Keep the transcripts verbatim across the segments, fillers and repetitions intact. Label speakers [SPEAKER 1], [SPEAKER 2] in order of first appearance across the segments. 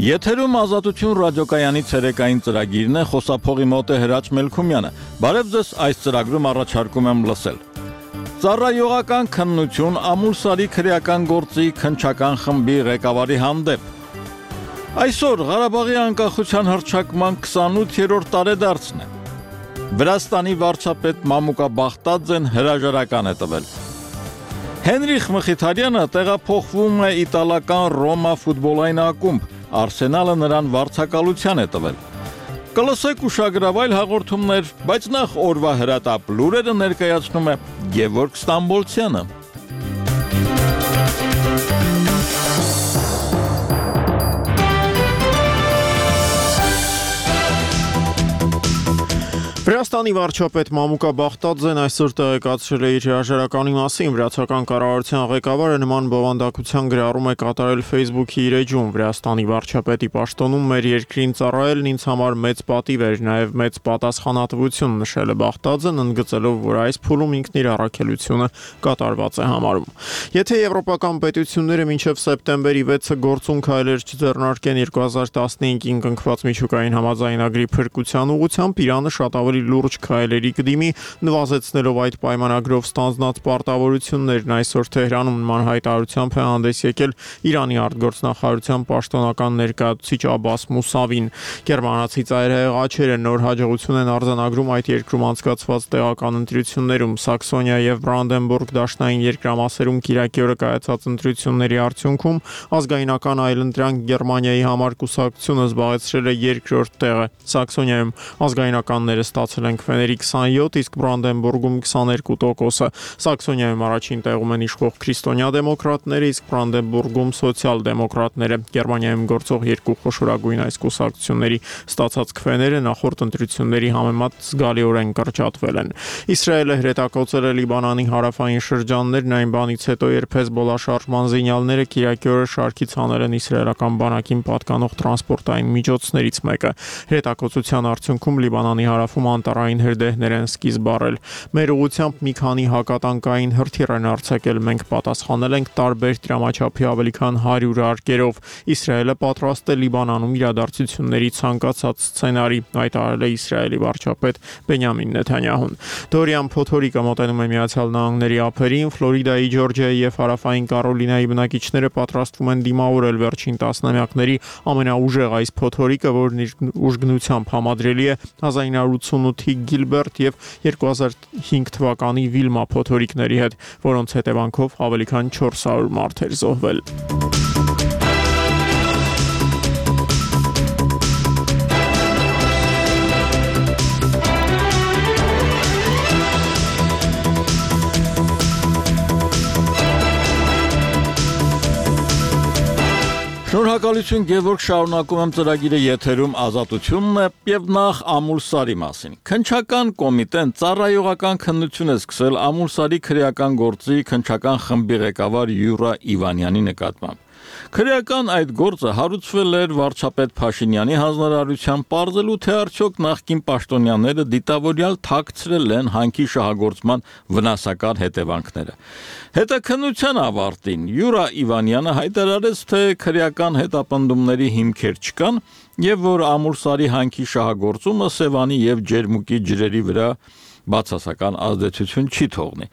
[SPEAKER 1] Եթերում Ազատություն ռադիոկայանի ցերեկային ծրագիրն է, խոսափողի մոտ է Հրաչ Մելքումյանը։ Բարև ձեզ, այս ծրագրում առաջարկում եմ լսել։ Ծառայողական քննություն Ամուլսարի քրեական գործի քննչական խմբի ղեկավարի հանդեպ։ Այսօր Ղարաբաղի անկախության հռչակման քսանութերորդ տարեդարձն է։ Վրաստանի վարչապետ Մամուկա Բախտաձեն հրաժարական է տվել։ Հենրիխ Մխիթարյանը տեղափոխվում է իտալական Ռոմա ֆուտբոլային ակումբ, Արսենալը նրան վարձակալության է տվել։ Կլսեք ուշագրավ այլ հաղորդումներ, բայց նախ օրվա հրատապ լուրերը ներկայացնում է Գևորգ Ստամբոլցյանը։
[SPEAKER 2] Վրաստանի վարչապետ Մամուկա Բախտաձեն այսօր տեղեկացրել է իր հրաժարականի մասին։ Վրացական կառավարության ղեկավարը նման բովանդակության գրառում է կատարել Facebook-ի իր էջում։ Վրաստանի վարչապետի պաշտոնում մեր երկրին ծառայելն ինձ համար մեծ պատիվ էր, նաև մեծ պատասխանատվություն, նշել է Բախտաձեն, ընդգծելով, որ այս փուլում ինքն իր առաքելությունը կատարված է համարում։ Եթե եվրոպական պետությունները մինչև սեպտեմբերի վեցը գործուն քայլեր չձեռնարկեն երկու հազար տասնհինգին կնքված միջուկային համաձայնագրի փրկության ուղղությամբ, Իրանը շատ ավելի լուրջ քայլերի կդիմի, նվազեցնելով այդ պայմանագրով ստանձնած պարտավորություններն։ Այսօր Թեհրանում նման հայտարարությամբ է հանդես եկել Իրանի արտգործնախարարության պաշտոնական ներկայացուցիչ Աբբաս Մուսավին։ Գերմանացի ծայրահեղ աչերը նոր հաջողություն են արձանագրում այդ երկրում անցկացված տեղական ընտրություններում։ Սաքսոնիա եւ Բրանդենբուրգ դաշնային երկրամասերում կիրակի օրը կայացած ընտրությունների արդյունքում ազգայնական այլընտրանք Գերմանիայի համար կուսակցությունը զբաղեցրել է երկրորդ տեղը։ Սաքսոնիայում ազգայնականները ստացել են քվեների քսանյոթ, իսկ Բրանդենբուրգում քսաներկու տոկոսը։ Սաքսոնիայում առաջին տեղում են իշխող քրիստոնյա դեմոկրատները, իսկ Բրանդենբուրգում սոցիալ-դեմոկրատները։ Գերմանիայում գործող երկու խոշորագույն այս կուսակցությունների ստացած քվեները նախորդ ընտրությունների համեմատ զգալիորեն կրճատվել են։ Իսրայելը հրետակոծել է Լիբանանի հարավային շրջաններն այն բանից հետո, երբ Հեզբոլլա շարժման զինյալները կիրակի օրը շարքից հանել են իսրայելական բանակին պատկանող տրանսպորտային միջոցներից մեկը։ Հրետակոծության արդյունքում Լիբանանի հարավում անտառային հրդեհներ են սկիզբ առել։ Մեր ուղղությամբ մի քանի հակատանկային հրթիռ են արձակել, մենք պատասխանել ենք տարբեր դրամաչափի ավելի քան հարյուր արկերով։ Իսրայելը պատրաստ է Լիբանանում իրադարձությունների ցանկացած սցենարի, հայտարարել է Իսրայելի վարչապետ Բենյամին Նեթանյահուն։ Դորիան փոթորիկը մոտենում է Միացյալ Նահանգների ափերին, Ֆլորիդայի, Ջորջիայի եւ հարավային Կարոլինայի բնակիչները պատրաստվում են դիմավորել վերջին տասնամյակների ամենաուժեղ այս փոթորիկը, որն իր ուժգնությամբ համադրելի է հազար ինը հարյուր ութսունութի Գիլբերտ եւ երկու հազար հինգ թվականի Վիլմա փոթորիկների հետ, որոնց հետևանքով ավելի քան չորս հարյուր մարդ էր զոհվել։
[SPEAKER 1] Շնորհակալություն Գևորգ, շարունակում եմ ծրագիրը եթերում Ազատությունն է եւ նախ Ամուլսարի մասին։ Քննչական կոմիտեն ծառայողական քննություն է սկսել Ամուլսարի քրեական գործի քննչական խմբի ղեկավար Յուրա Իվանյանի նկատմամբ։ Քրեական այդ գործը հարուցվել էր վարչապետ Փաշինյանի հանձնարարությամբ, պարզելու թե արդյոք նախկին պաշտոնյաները դիտավորյալ թաքցրել են հանքի շահագործման վնասակար հետևանքները։ Հետաքննության ավարտին Յուրա Իվանյանը հայտարարեց, թե քրեական հետապնդումների հիմքեր չկան եւ որ Ամուլսարի հանքի շահագործումը Սևանի եւ Ջերմուկի ջրերի վրա բացասական ազդեցություն չի թողնի։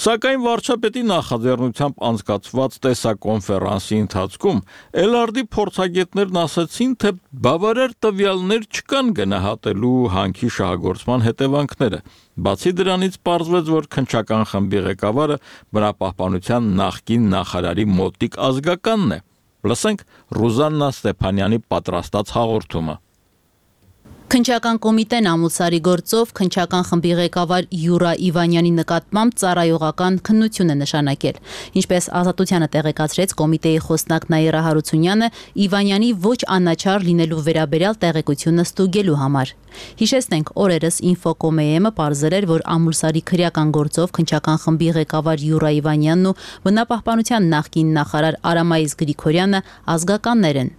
[SPEAKER 1] Սակայն վարչապետի նախաձեռնությամբ անցկացված տեսակոնֆերանսի ընթացքում Էլարդի փորձագետներն ասացին, թե բավարար տվյալներ չկան գնահատելու հանքի շահագործման հետևանքները։ Բացի դրանից պարզվեց, որ քննչական խմբի ղեկավարը բնապահպանության նախկին նախարարի մոտիկ ազգականն է։ Լսենք Ռուզաննա Ստեփանյանի պատրաստած հաղորդումը։
[SPEAKER 3] Քննչական կոմիտեն Ամուլսարի գործով քննչական խմբի ղեկավար Յուրա Իվանյանի նկատմամբ ծառայողական քննություն է նշանակել։ Ինչպես Ազատությանը տեղեկացրեց կոմիտեի խոսնակ Նաիրա Հարությունյանը, Իվանյանի ոչ անաչառ լինելու վերաբերյալ տեղեկությունը ստուգելու համար։ Հիշեցնենք, օրերս Ինֆոկոմեեմը պարզել էր, որ Ամուլսարի քրեական գործով քննչական խմբի ղեկավար Յուրա Իվանյանն ու բնապահպանության նախկին նախարար Արամայիս Գրիգորյանը ազգականներ են։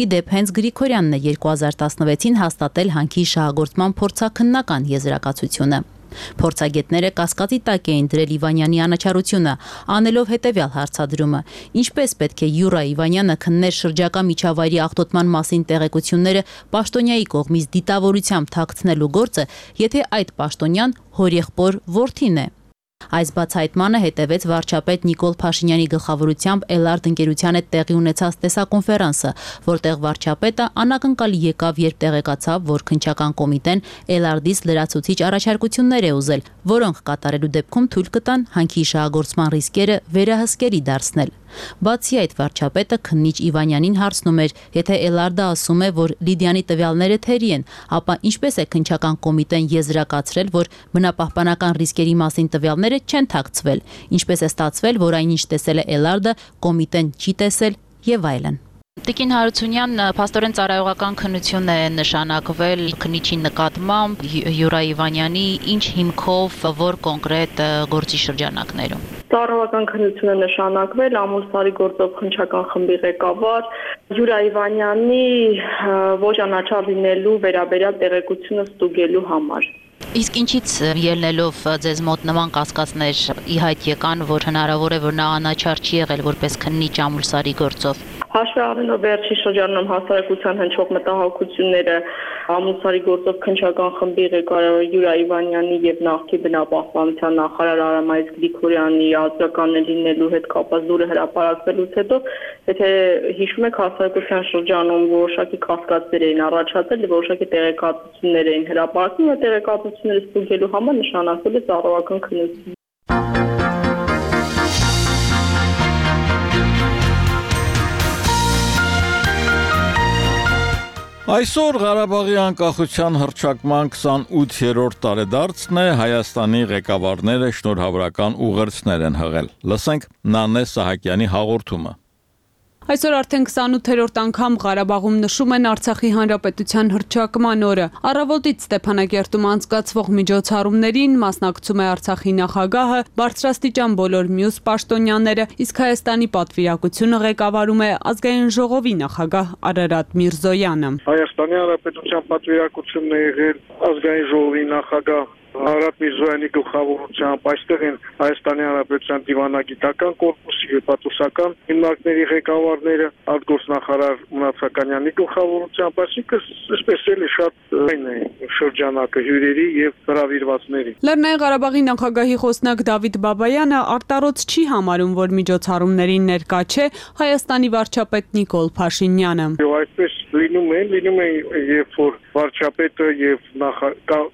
[SPEAKER 3] Իդեպ հենց Գրիգորյանն է երկու հազար տասնվեցին հաստատել հանքի շահագործման փորձաքննական եզրակացությունը։ Փորձագետները կասկածի տակ էին դրել Իվանյանի անաչառությունը, անելով հետևյալ հարցադրումը. ինչպես պետք է Յուրա Իվանյանը քններ շրջակա միջավայրի աղտոտման մասին տեղեկությունները պաշտոնյայի կողմից դիտավորությամբ թաքցնելու գործը, եթե այդ պաշտոնյան հորեղբոր որդին է։ Այս բացահայտմանը հետևեց վարչապետ Նիկոլ Փաշինյանի գլխավորությամբ Էլարդ ընկերության հետ տեղի ունեցած տեսակոնֆերանսը, որտեղ վարչապետը անակնկալի եկավ, երբ տեղեկացավ, որ քննչական կոմիտեն Էլարդից լրացուցիչ առաջարկություններ է ուզել, որոնք կատարելու դեպքում թույլ կտան հանքի շահագործման ռիսկերը վերահսկելի դարձնել։ Բացի այդ, վարչապետը քննիչ Իվանյանին հարցնում էր, եթե Էլարդը ասում է, որ Լիդիանի տվյալները թերի են, ապա ինչպես է քննչական կոմիտեն եզրակացրել, որ բնապահպանական ռիսկերի մասին տվյալները չեն թաքցվել, ինչպես է ստացվել, որ այնինչ տեսել է Էլարդը, կոմիտեն չի տեսել եւ այլն։ Տիկին Հարությունյան, փաստորեն ծառայողական քննություն է նշանակվել քննիչի նկատմամբ Յուրա Իվանյանի, ինչ հիմքով, որ կոնկրետ գործի շրջանակներում։
[SPEAKER 4] Ծառայողական քննություն է նշանակվել Ամուլսարի գործով քննչական խմբի ղեկավար Յուրա Իվանյանի ոչ անաչառ լինելու վերաբերյալ տեղեկությունը ստուգելու համար։
[SPEAKER 3] Իսկ ինչից ելնելով ձեզ մոտ նման կասկածներ ի հայտ եկան, որ հնարավոր է, որ նա անաչառ չի եղել որպես քննիչ Ամուլսարի գործով։
[SPEAKER 4] Հաշվի առնելով վերջի շրջանում հասարակության հնչող մտահոգությունները Ամուլսարի գործով քննչական խմբի ղեկավար Յուրա Իվանյանի եւ նախկին բնապահպանության նախարար Արամայիս Գրիգորյանի ազգականներ լինելու հետ կապված լուրը հրապարակվելուց հետո, եթե հիշում եք, հասարակության շրջանում որոշակի կասկածներ էին առաջացել, որոշակի տեղեկատվություններ էին հրապարակվում, այդ տեղեկատվությունները ստուգելու համար նշանակվել է ծառայողական քննություն։
[SPEAKER 1] Այսօր Ղարաբաղի անկախության հռչակման քսանութերորդ տարեդարձն է, Հայաստանի ղեկավարները շնորհավորական ուղերձներ են հղել։ Լսենք Նանե Սահակյանի հաղորդումը։
[SPEAKER 5] Այսօր արդեն քսանութերորդ անգամ Ղարաբաղում նշում են Արցախի հանրապետության հռչակման օրը։ Առավոտից Ստեփանակերտում անցկացվող միջոցառումներին մասնակցում է Արցախի նախագահը, բարձրաստիճան բոլոր մյուս պաշտոնյաները, իսկ Հայաստանի պատվիրակությունը ղեկավարում է ազգային ժողովի նախագահ Արարատ Միրզոյանը։
[SPEAKER 6] Հայաստանի հանրապետության պատվիրակությունն է եղել ազգային ժողովի նախագահ Արարատ Միրզոյանի գլխավորությամբ, այստեղ են Հայաստանի Հանրապետության դիվանագիտական կորպուսի հպատոսական հիմնարկների ղեկավարները, արտգործնախարար Մնացականյանի գլխավորությամբ, այսինքն այսպես էլի շատ այն է շրջանակը հյուրերի եւ հրավիրվածների։
[SPEAKER 5] Լեռնային Ղարաբաղի նախագահի խոսնակ Դավիթ Բաբայանը արտարոց չի համարում, որ միջոցառումներին ներկա չէ Հայաստանի վարչապետ Նիկոլ Փաշինյանը։
[SPEAKER 6] Այսպես լինում է, լինում է երբ որ վարչապետը եւ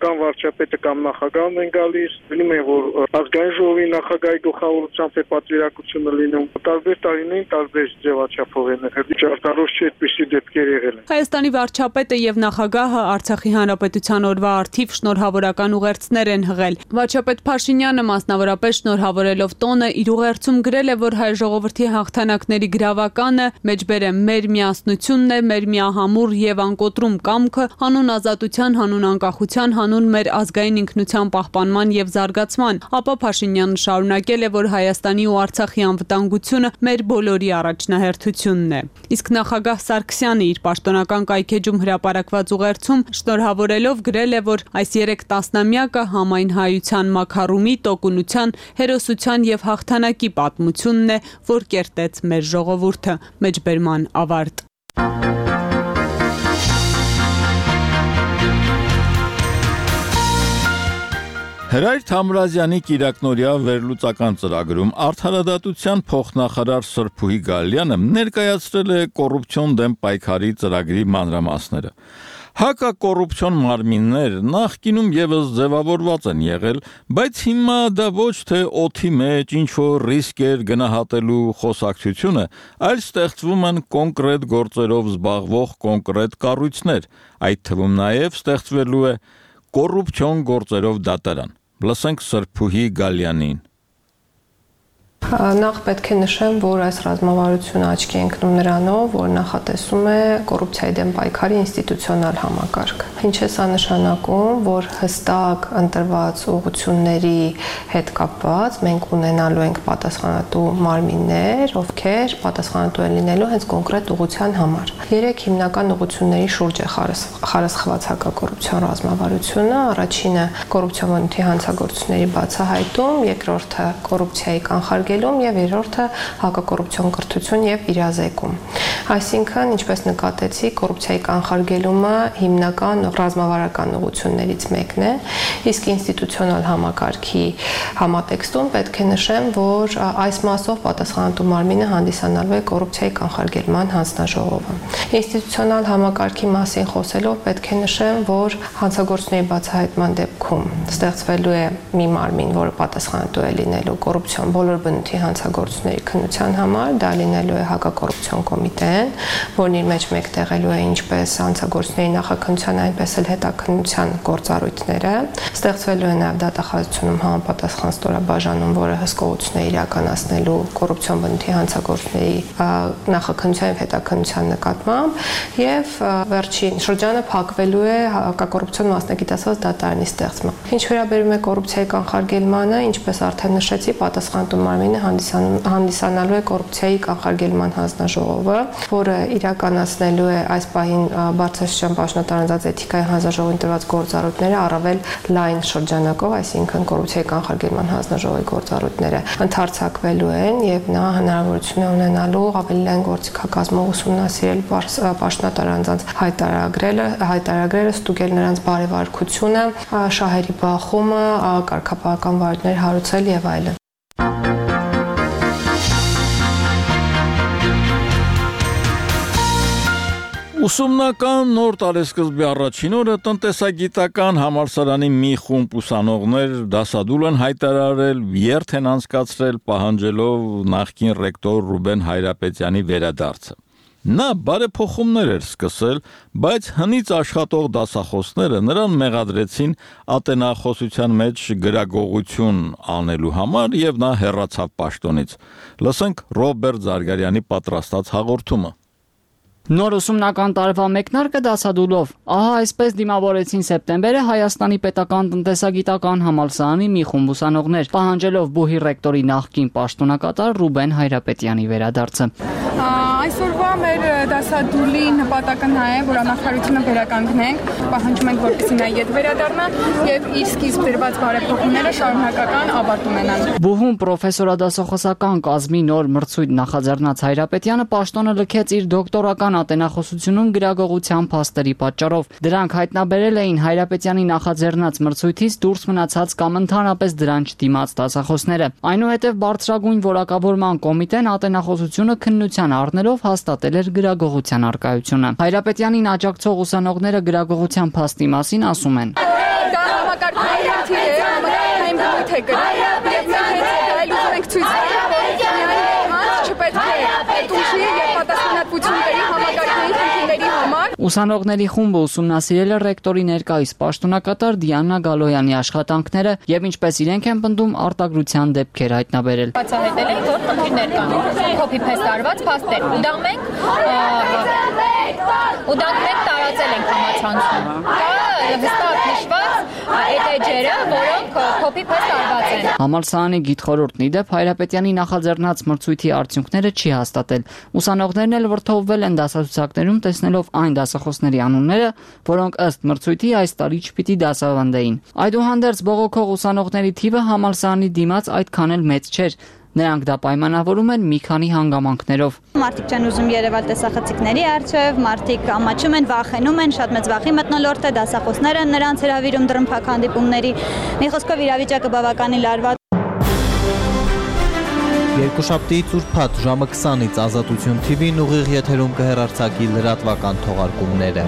[SPEAKER 6] կամ վարչապետը կամ նախագահն են գալիս, լինում է որ ազգային ժողովի նախագահի գլխավորությամբ է պատվիրակությունը լինում։ Տարբեր տարիներին տարբեր ձևաչափով են եղել։ Ճարտարոց չի այդպիսի դեպքեր եղել։
[SPEAKER 5] Հայաստանի վարչապետը եւ նախագահը Արցախի հանրապետության օրվա առթիվ շնորհավորական ուղերձներ են հղել։ Վարչապետ Փաշինյանը մասնավորապես շնորհավորելով տոնը իր ուղերձում գրել է, որ հայ ժողովրդի հաղթանակների գրավականը մեջբեր է մեր միասնությունն է, մեր միահամուռ եւ անկոտրում կամքը, հանուն ազատության, հանուն անկախության, հանուն մեր ազգային ինքնության պահպանման եւ զարգացման։ Ապա Փաշինյանը շարունակել է, որ Հայաստանի ու Արցախի անվտանգությունը մեր բոլորի առաջնահերթությունն է։ Իսկ նախագահ Սարգսյանը իր պաշտոնական կայքեջում հրապարակված ուղերձում շնորհավորելով գրել է, որ այս երեք տասնամյակը համայն հայության մաքարումի, տոկունության, հերոսության եւ հաղթանակի պատմությունն է, որ կերտեց մեր ժողովուրդը։ Մեջբերման ավարտ։
[SPEAKER 1] Հրայր Թամրազյանի կիրակնօրյա վերլուծական ծրագրում արդարադատության փոխնախարար Սրփուհի Գալյանը ներկայացրել է կոռուպցիոն դեմ պայքարի ծրագրի մանրամասները։ Հակակոռուպցիոն մարմիններ նախկինում եւս ձևավորված են եղել, բայց հիմա դա ոչ թե օթի մեջ ինչ-որ ռիսկեր գնահատելու խոսակցությունը, այլ ստեղծվում են կոնկրետ գործերով զբաղվող կոնկրետ կառույցներ, այդ թվում նաեւ ստեղծվելու է կոռուպցիոն գործերով դատարան։ Լսենք Սրփուհի Գալյանին։
[SPEAKER 7] Նախ պետք է նշեմ, որ այս ռազմավարությունը աչքի է ընկնում նրանով, որ նախատեսում է կոռուպցիայի դեմ պայքարի ինստիտուցիոնալ համակարգ։ Ինչ է սա նշանակում, որ հստակ ընտրված ուղղությունների հետ կապված մենք ունենալու ենք պատասխանատու մարմիններ, ովքեր պատասխանատու են լինելու հենց կոնկրետ ուղղության համար։ Երեք հիմնական ուղղությունների շուրջ է խարսխված հակակոռուպցիոն ռազմավարությունը, առաջինը կոռուպցիոն բնույթի հանցագործությունների բացահայտում, երկրորդը կոռուպցիայի կանխարգելում եւ երրորդը հակակոռուպցիոն կրթություն եւ իրազեկում։ Այսինքն, ինչպես նկատեցի, կոռուպցիայի կանխարգելումը հիմնական ռազմավարական ուղղություններից մեկն է, իսկ ինստիտուցիոնալ համակարգի համատեքստում պետք է նշեմ, որ այս մասով պատասխանատու մարմինը հանդիսանալու է կոռուպցիայի կանխարգելման հանձնաժողովը։ Ինստիտուցիոնալ համակարգի մասին խոսելով պետք է նշեմ, որ հանցագործների բացահայտման դեպքում ստեղծվելու է մի մարմին, որը պատասխանատու է լինելու կոռուպցիոն բոլոր բնույթի հանցագործությունների քննության համար, դա լինելու է հակակոռուպցիոն կոմիտեն, որն իր մեջ մեկտեղելու է ինչպես հանցագործությունների նախաքննության, այնպես էլ հետաքննության գործառույթները, ստեղծվելու է նաև դատախազությունում համապատասխան ստորաբաժանում, որը հսկողություն է իրականացնելու կոռուպցիոն բնույթի հանցագործությունների նախաքննության եւ հետաքննության նկատմամբ, եւ վերջին շրջանը փակվելու է հակակոռուպցիոն մասնագիտացված դատարանի ստեղծմամբ։ Ինչ վերաբերում է կոռուպցիայի կանխարգելմանը, ինչպես արդեն նշեցի, պատասխանատու մարմինը հանդիսանալու է կոռուպցիայի կանխարգելման հանձնաժողովը, որը իրականացնելու է այս պահին բարձրաստիճան պաշտոնատարանձած էթիկայի հանձնաժողովին տրված գործառույթները առավել լայն շրջանակով, այսինքն կոռուպցիայի կանխարգելման հանձնաժողովի գործառույթները ընդարձակվելու են եւ նա հնարավորություն է ունենալու ավելի լայն գործիքակազմով ուսումնասիրել պաշտոնատարանձած հայտարարագրերը, հայտարարագրերը ստուգել նրանց բարեվարկությունը, շահերի բախումը, կարգապահական վարույթներ հարուցել եւ այլն։
[SPEAKER 1] Ուսումնական նոր տարեսկզբի առաջին օրը տնտեսագիտական համալսարանի մի խումբ ուսանողներ դասադուլ են հայտարարել, երթ են անցկացրել պահանջելով նախկին ռեկտոր Ռուբեն Հայրապետյանի վերադարձը։ Նա բարեփոխումներ էր սկսել, բայց հնից աշխատող դասախոսները նրան մեղադրեցին ատենախոսության մեջ գրագողություն անելու համար եւ նա հեռացավ պաշտոնից։ Լսենք Ռոբերտ Զարգարյանի պատրաստած հաղորդումը։
[SPEAKER 8] Նոր ուսումնական տարվա մեկնարկը դասադուլով։ Ահա այսպես դիմավորեցին սեպտեմբերը Հայաստանի պետական տնտեսագիտական համալսարանի մի խումբ ուսանողներ, պահանջելով բուհի ռեկտորի նախկին պաշտոնակատար Ռուբեն Հայրապետյանի վերադարձը։
[SPEAKER 9] Այսօրվա մեր դասադուլի նպատակը նա է, որ անախարությունը վերականգնենք, պահանջում ենք, որպեսզի նա ետ վերադառնա եւ իր սկիզբ դրված բարեփոխումները շարունակական ավարտ ունենան։
[SPEAKER 8] Բուհում պրոֆեսորադասախոսական կազմի նոր մրցույթ նախաձեռնած Հայրապետյանը պաշտոնը լքեց իր դոկտորական ատենախոսությունում գրագողության փաստերի պատճառով։ Դրանք հայտնաբերել էին Հայրապետյանի նախաձեռնած մրցույթից դուրս մնացած կամ ընդհանրապես դրան չդիմաց դասախոսները։ Այնուհետև բարձրագույն որակավորման կոմիտեն ատենախոսությունը քննության առնելով հաստատել էր գրագողության առկայությունը։ Հայրապետյանին աջակցող ուսանողները գրագողության փաստի մասին ասում են.
[SPEAKER 9] Դա համակարգային խնդիր է, համակարգային բնույթ է գրել, եւ մենք հենց դա ենք ցույց տալու, որ չպետք է տուժի եւ պատասխանատվություն բերի համակարգային խնդիրների համար։
[SPEAKER 8] Ուսանողների խումբը ուսումնասիրել է ռեկտորի ներկայիս պաշտոնակատար Դիանա Գալոյանի աշխատանքները եւ ինչպես իրենք են պնդում արտագրության դեպքեր հայտնաբերել։
[SPEAKER 10] Բացահայտել են, որ խնդիրներ կան, copy-paste արված փաստեր։ Ու դա մենք ու դա մենք տարածել ենք համացանցում։ Դա հստակ նշված այդ էջերը, որոնք copy-paste արված են։
[SPEAKER 8] Համալսարանի գիտխորհուրդն ի դեպ Հայրապետյանի նախաձեռնած մրցույթի արդյունքները չի հաստատել։ Ուսանողներն էլ վրդովվել են դասացուցակներում տեսնելով այն դասախոսների անունները, որոնք ըստ մրցույթի այս տարի չպիտի դասավանդեին։ Այդուհանդերձ բողոքող ուսանողների թիվը համալսարանի դիմաց այդքան էլ մեծ չէր։ Նրանք դա պայմանավորում են մի քանի հանգամանքներով։
[SPEAKER 11] Մարդիկ չեն ուզում երևալ տեսախցիկների առջև, մարդիկ ամաչում են, վախենում են, շատ մեծ վախի մթնոլորտ է, դասախոսները նրանց հրավիրում դրմփակ հանդիպումների։ Մի խոսքով իրավիճակը բավականին լարված։
[SPEAKER 12] Երկուշաբթիից ուրբաթ ժամը քսանից Ազատություն թի վին ուղիղ եթերում կհեռարձակի լրատվական թողարկումները։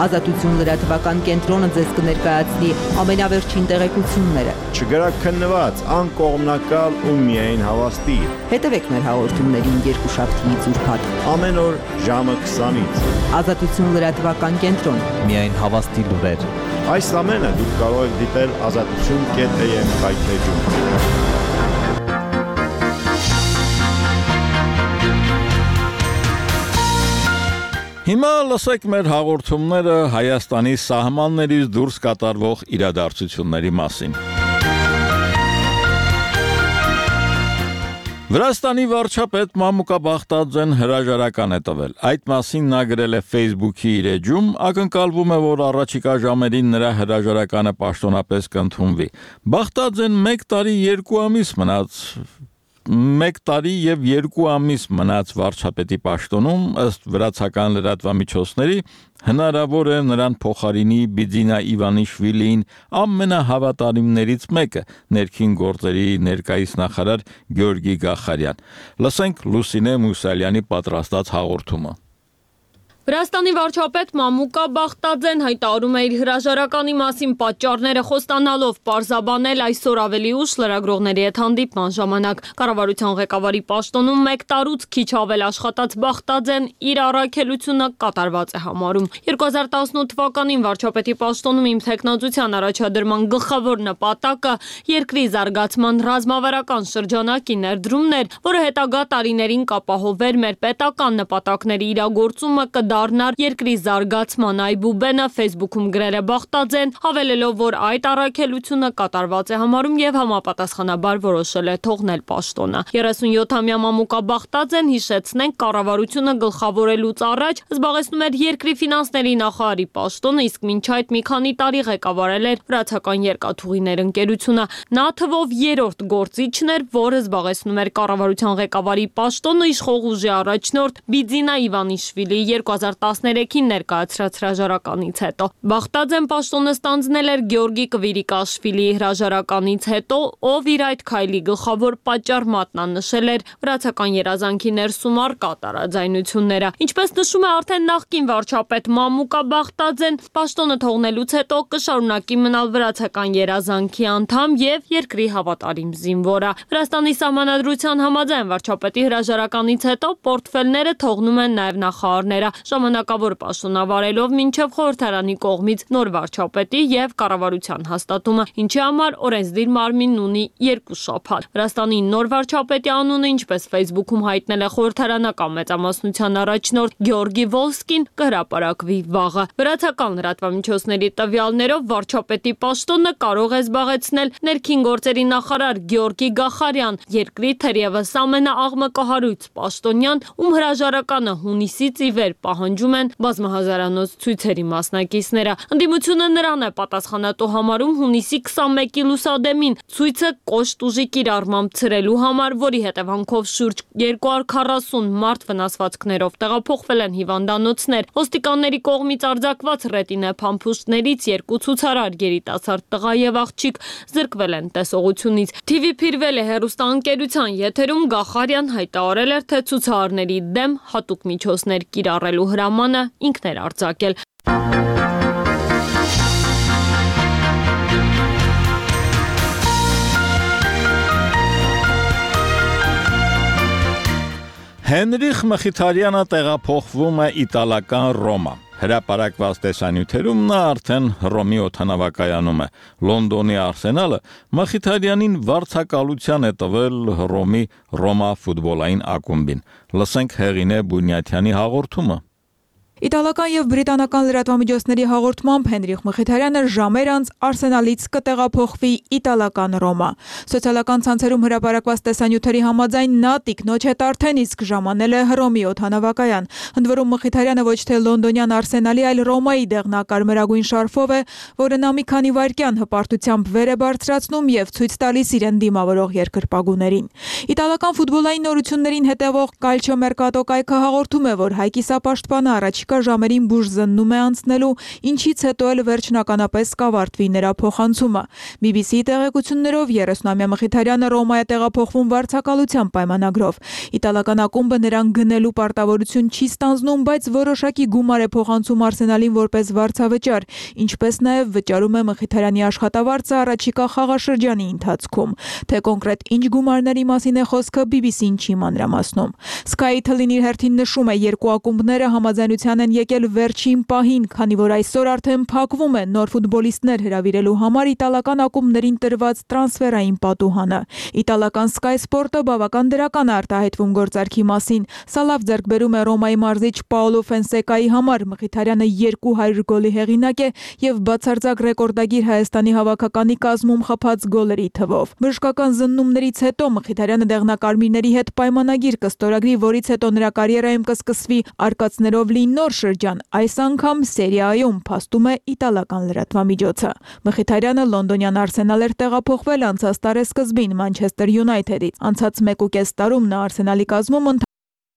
[SPEAKER 13] Ազատություն լրատվական կենտրոնը ձեզ կներկայացնի ամենավերջին տեղեկությունները։
[SPEAKER 14] Չգրակ քննված, անկողմնակալ ու միայն հավաստի։
[SPEAKER 13] Հետևեք մեր հաղորդումներին երկուշաբթիից ուրբաթ
[SPEAKER 14] ամեն օր ժամը քսանից։
[SPEAKER 13] Ազատություն լրատվական կենտրոն։
[SPEAKER 12] Միայն հավաստի լուրեր։
[SPEAKER 14] Այս ամենը դուք կարող եք դիտել ազատություն կետ էմ հայթեջում։
[SPEAKER 1] Հիմա լսեք մեր հաղորդումները Հայաստանի սահմաններից դուրս կատարվող իրադարձությունների մասին։ Վրաստանի վարչապետ Մամուկա Բախտաձեն հրաժարական է տվել։ Այդ մասին նա գրել է Facebook-ի իր էջում, ակնկալվում է, որ առաջիկա ժամերին նրա հրաժարականը պաշտոնապես կընդունվի։ Բախտաձեն մեկ տարի երկու ամիս մնաց մեկ տարի եւ երկու ամիս մնաց վարչապետի պաշտոնում, ըստ վրացական լրատվամիջոցների, հնարավոր է նրան փոխարինի Բիձինա Իվանիշվիլին ամենահավատարիմներից մեկը, ներքին գործերի ներկայիս նախարար Գյորգի Գախարյան։ Լսենք Լուսինե Մուսալյանի պատրաստած հաղորդումը։
[SPEAKER 15] Վրաստանի վարչապետ Մամուկա Բախտաձեն հայտարարում է իր հրաժարականի մասին պատճառները խոստանալով պարզաբանել այսօր ավելի ուշ լրագրողների հետ հանդիպման ժամանակ։ Կառավարության ղեկավարի պաշտոնում մեկ տարուց քիչ ավել աշխատած Բախտաձեն իր առաքելությունը կատարված է համարում։ երկու հազար տասնութ թվականին վարչապետի պաշտոնում իմ տեխնոզության առաջադրման գլխավոր նպատակը երկրի զարգացման ռազմավարական շրջանակի ներդրումն էր, որը հետագա տարիներին կապահովեր մեր պետական նպատակների իրագործումը դառնար երկրի զարգացման այբուբենը, Facebook-ում գրել է Բախտաձեն, հավելելով, որ այդ առաքելությունը կատարված է համարում եւ համապատասխանաբար որոշել է թողնել պաշտոնը։ երեսունյոթամյա Մամուկա Բախտաձեն, հիշեցնենք, կառավարությունը գլխավորելուց առաջ զբաղեցնում էր երկրի ֆինանսների նախարարի պաշտոնը, իսկ մինչ այդ մի քանի տարի ղեկավարել էր վրացական երկաթուղիներ ընկերությունը։ Նա թվով երրորդ գործիչն էր, որը զբաղեցնում էր կառավարության ղեկավարի պաշտոնը իշխող ուժի առաջնորդ Բիձինա Իվանիշվիլի երկու հազար տասներեքին ներկայացրած հրաժարականից հետո։ Բախտաձեն պաշտոնը ստանձնել էր Գյորգի Կվիրիկաշվիլիի հրաժարականից հետո, ով իր այդ քայլի գլխավոր պատճառ մատնանշել էր վրացական երազանքի ներսում առկա տարաձայնությունները։ Ինչպես նշում է արդեն նախկին վարչապետ Մամուկա Բախտաձեն, պաշտոնը թողնելուց հետո կշարունակի մնալ վրացական երազանքի անդամ եւ երկրի հավատարիմ զինվորը։ Վրաստանի սահմանադրության համաձայն վարչապետի հրաժարականից հետո պորտֆելները թողնում են նաեւ նախարարները, ժամանակավոր պաշտոնավարելով մինչև խորհրդարանի կողմից նոր վարչապետի եւ կառավարության հաստատումը, ինչի համար օրենսդիր մարմինն ունի երկու շաբաթ։ Վրաստանի նոր վարչապետի անունը, ինչպես Facebook-ում հայտնել է խորհրդարանական մեծամասնության առաջնորդ Գյորգի Վոլսկին, կհրապարակվի վաղը։ Վրացական լրատվամիջոցների տվյալներով վարչապետի պաշտոնը կարող է զբաղեցնել ներքին գործերի նախարար Գյորգի Գախարյան, երկրի թերևս ամենաաղմկահարույց պաշտոնյան, ում հրաժարականը հունիսից ի վեր պահանջում են բազմահազարանոց ցույցերի մասնակիցները։ Ընդդիմությունը նրան է պատասխանատու համարում հունիսի քսանմեկի լուսադեմին ցույցը կոշտ ուժի կիրառմամբ ցրելու համար, որի հետևանքով շուրջ երկու հարյուր քառասուն մարդ վնասվածքներով տեղափոխվել են հիվանդանոցներ։ Ոստիկանների կողմից արձակված ռետինե փամփուշտներից երկու ցուցարար, երիտասարդ տղա եւ աղջիկ զրկվել են տեսողությունից։ Թի վի Փիրվել է հեռուստաընկերության եթերում Գախարյան հայտարարել էր, թե ցուցարարների դեմ հատուկ միջոցներ կիրառելու հրամանը ինքն էր արձակել։
[SPEAKER 1] Հենրիխ Մխիթարյանը տեղափոխվում է իտալական Ռոմա։ Հրապարակված տեսանյութերում նա արդեն Հռոմի օդանավակայանում է։ Լոնդոնի Արսենալը Մխիթարյանին վարձակալության է տվել Հռոմի Ռոմա ֆուտբոլային ակումբին։ Լսենք Հեղինե Բունյաթյանի հաղորդումը։
[SPEAKER 16] Իտալական եւ բրիտանական լրատվամիջոցների հաղորդմամբ Հենրիխ Մխիթարյանը ժամեր անց Արսենալից կտեղափոխվի իտալական Ռոմա։ Սոցիալական ցանցերում հրապարակված տեսանյութերի համաձայն նա տիկնոջ հետ արդեն իսկ ժամանել է Հռոմի օդանավակայան։ Ընդ որում Մխիթարյանը ոչ թե լոնդոնյան Արսենալի, այլ Ռոմայի դեղնակարմրագույն շարֆով է, որը նա մի քանի վայրկյան հպարտությամբ վեր է բարձրացնում եւ ցույց տալիս իրեն դիմավորող երկրպագուներին։ Իտալական ֆուտբոլային նորություններին հետևող Calcio Mercato կայքը հաղորդում է, որ հայկիսապաշտպանը առաջ ժամերին բուժ զննում է անցնելու, ինչից հետո էլ վերջնականապես կավարտվի նրա փոխանցումը։ բի բի սի-ի տեղեկություններով երեսունամյա Մխիթարյանը Ռոմա է տեղափոխվում վարձակալության պայմանագրով։ Իտալական ակումբը նրան գնելու պարտավորություն չի ստանձնում, բայց որոշակի գումար է փոխանցում Արսենալին որպես վարձավճար, ինչպես նաև վճարում է Մխիթարյանի աշխատավարձը առաջիկա խաղաշրջանի ընթացքում։ Թե կոնկրետ ինչ գումարների մասին է խոսքը, բի բի սի-ն չի մանրամասնում։ Sky Italy-ն իր հերթին նշում է, երկու ակումբները համաձայնության Մխիթարյան են եկել վերջին պահին, քանի որ այսօր արդեն փակվում է նոր ֆուտբոլիստներ հրավիրելու համար իտալական ակումբներին տրված տրանսֆերային պատուհանը։ Իտալական Sky Sport-ը բավական դրական է արտահայտվում գործարքի մասին։ Սա լավ ձեռքբերում է Ռոմայի մարզիչ Պաոլո Ֆենսեկայի համար։ Մխիթարյանը երկու հարյուր գոլի հեղինակ է եւ բացարձակ ռեկորդագիր Հայաստանի հավաքականի կազմում խփած գոլերի թվով։ Բժշկական զննումներից հետո Մխիթարյանը դեղնակարմիրների հետ պայմանագիր կստորագրի, որից հետո նրա կարիերայում կսկսվի արկածներով լի նոր շրջան, այս անգամ Սերիայում, փաստում է իտալական լրատվամիջոցը։ Մխիթարյանը լոնդոնյան Արսենալ էր տեղափոխվել անցած տարեսկզբին Մանչեսթեր Յունայթեդից։ Անցած մեկ ու կես տարում նա Արսենալի կազմում